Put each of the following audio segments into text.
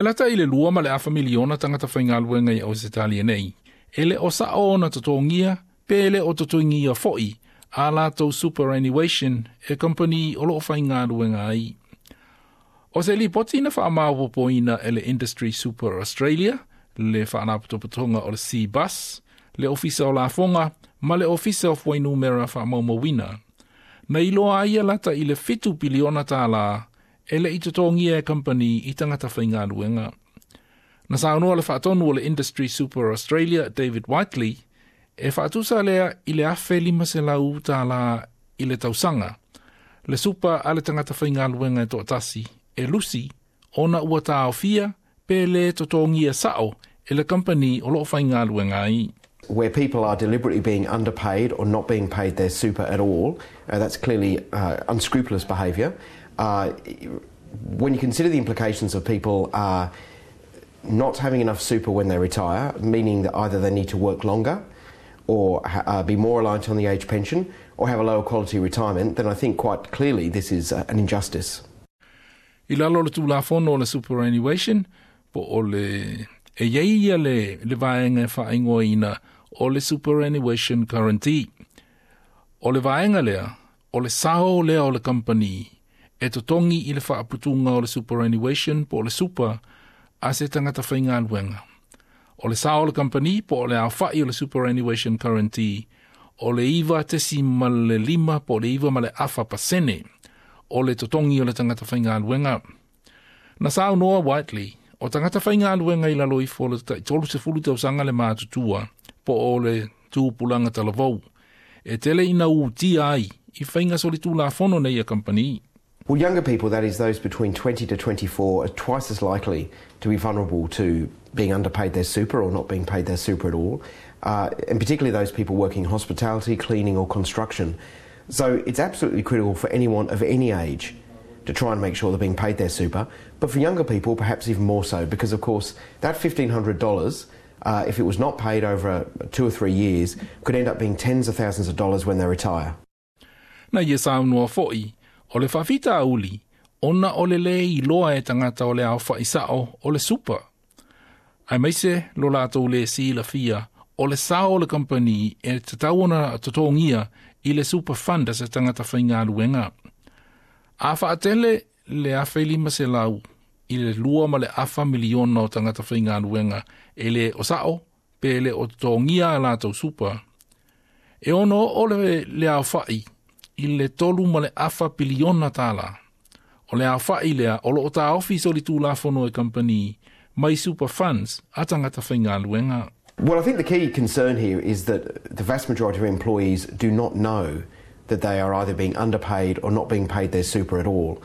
E lata i le 2.5 miliona tagata faigaluega i Ausetalia nei, e le o sa'o ona totogia pe le o totogia fo'i a latou superannuation e kamupani o lo'o faigaluega ai. O se lipoti na faamaopopoina e le Industry Super Australia, le faalapotopotoga o le Cbus, le Ofisa o Lafoga ma le Ofisa o Fuainumera Faamaumauina. Na iloa ai e lata i le $7 piliona e le i totogia e kamupani i tagata faigaluega. Na saunoa le faatonu o le Industry Super Australia, David Whiteley, e faatusa lea i le $1,500 i le tausaga. Le super a le tagata faigaluega e toatasi, e lusi, ona ua taofia pe le totogia sao e le kamupani o loo faigaluega ai. Where people are deliberately being underpaid or not being paid their super at all, that's clearly unscrupulous behaviour. When you consider the implications of people not having enough super when they retire, meaning that either they need to work longer or be more reliant on the age pension or have a lower quality retirement, then I think quite clearly this is an injustice. I lalo le tulafono o le superannuation, po o le e iai ia le vaega e faaigoaina o le superannuation guarantee. O le vaega lea, o le sao lea o le kamupani e totogi i le faaputuga o le superannuation po o le super a se tagata faigaluega. O le sao o le kamupani po o le aofa'i o le superannuation guarantee o le 9.5 po o le 9.5% o le totogi o le tagata faigaluega. Na saunoa Whiteley, o tagata faigaluega i lalo ifo o le tai 30 tausaga le matutua po o le tupulaga talavou. E tele ina utia ai i faiga solitulafono nei a kamupani. Well, younger people, that is those between 20 to 24, are twice as likely to be vulnerable to being underpaid their super or not being paid their super at all, and particularly those people working in hospitality, cleaning, or construction. So it's absolutely critical for anyone of any age to try and make sure they're being paid their super. But for younger people, perhaps even more so, because of course that $1,500, if it was not paid over 2 or 3 years, could end up being tens of thousands of dollars when they retire. Na ia saunoa fo'i, o le faafitauli, ona o le le iloa e tagata o le aofa'i sa'o o le super. Aemaise lo latou le silafia o le sao o le kamupani e tatau ona totogia i le super fund a se tagata faigaluega. A faatele le 1,500 i le 2.5 miliona o tagata faigaluega e le o sa'o pe le o totogia a latou super. E ono o le aofa'i i le $3.25 piliona. O le aofa'i lea o loo taofi solitulafono e kamupani mai super funds a tagata faigaluega. Well, I think the key concern here is that the vast majority of employees do not know that they are either being underpaid or not being paid their super at all.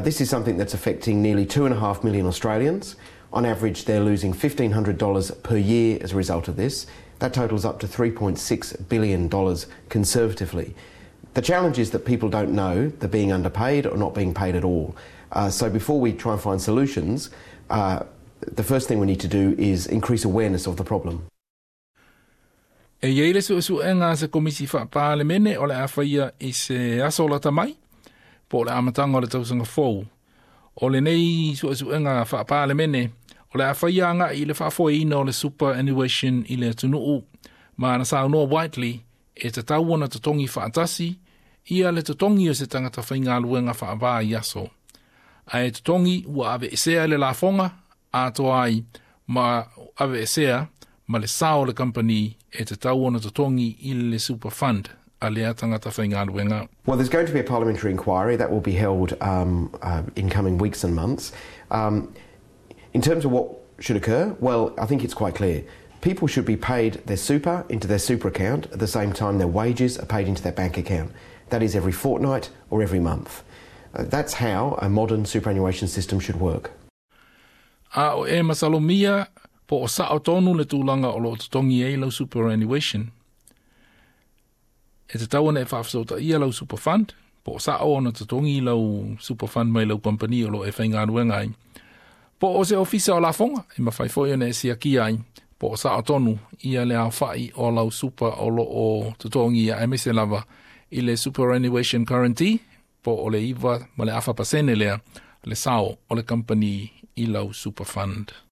This is something that's affecting nearly 2.5 million Australians. On average, they're losing $1,500 per year as a result of this. That totals up to $3.6 billion conservatively. The challenge is that people don't know they're being underpaid or not being paid at all. So before we try and find solutions, the first thing we need to do is increase awareness of the problem. E iai le suesuega a se komisi faapalemene o le a faia i se aso lata mai, po o le amataga o le tausaga fou. O lenei suesuega faapalemene, o le a faia aga'i i le faafoeina o le superannuation i le atunuu, ma na saunoa Whiteley e tatau ona totogi faatasi ia le totogi o se tagata faigaluega faavaiaso. Ae totogi ua aveesea le lafoga atoa ai ma aveesea ma le sao o le kamupani e tatau ona totogi i le super fund a lea tagata faigaluega. Well, there's going to be a parliamentary inquiry that will be held in coming weeks and months. In terms of what should occur, well, I think it's quite clear. People should be paid their super into their super account at the same time their wages are paid into their bank account. That is every fortnight or every month. That's how a modern superannuation system should work. A o e masalomia po o sa'o tonu le tulaga o loo totogi ai lau superannuation. E tatau ona e faafesootaia lau super fund, po o sa'o ona totogi lau super fund mai lau kamupani o loo e faigaluega ai. Po o se ofisa o lafoga, e mafai foi ona e siakia ai, po o sa'o tonu ia le aofa'i o lau super o loo totogia aemaise lava i le superannuation guarantee po o le 9.5% lea le sao o le kamupani. i lau super fund.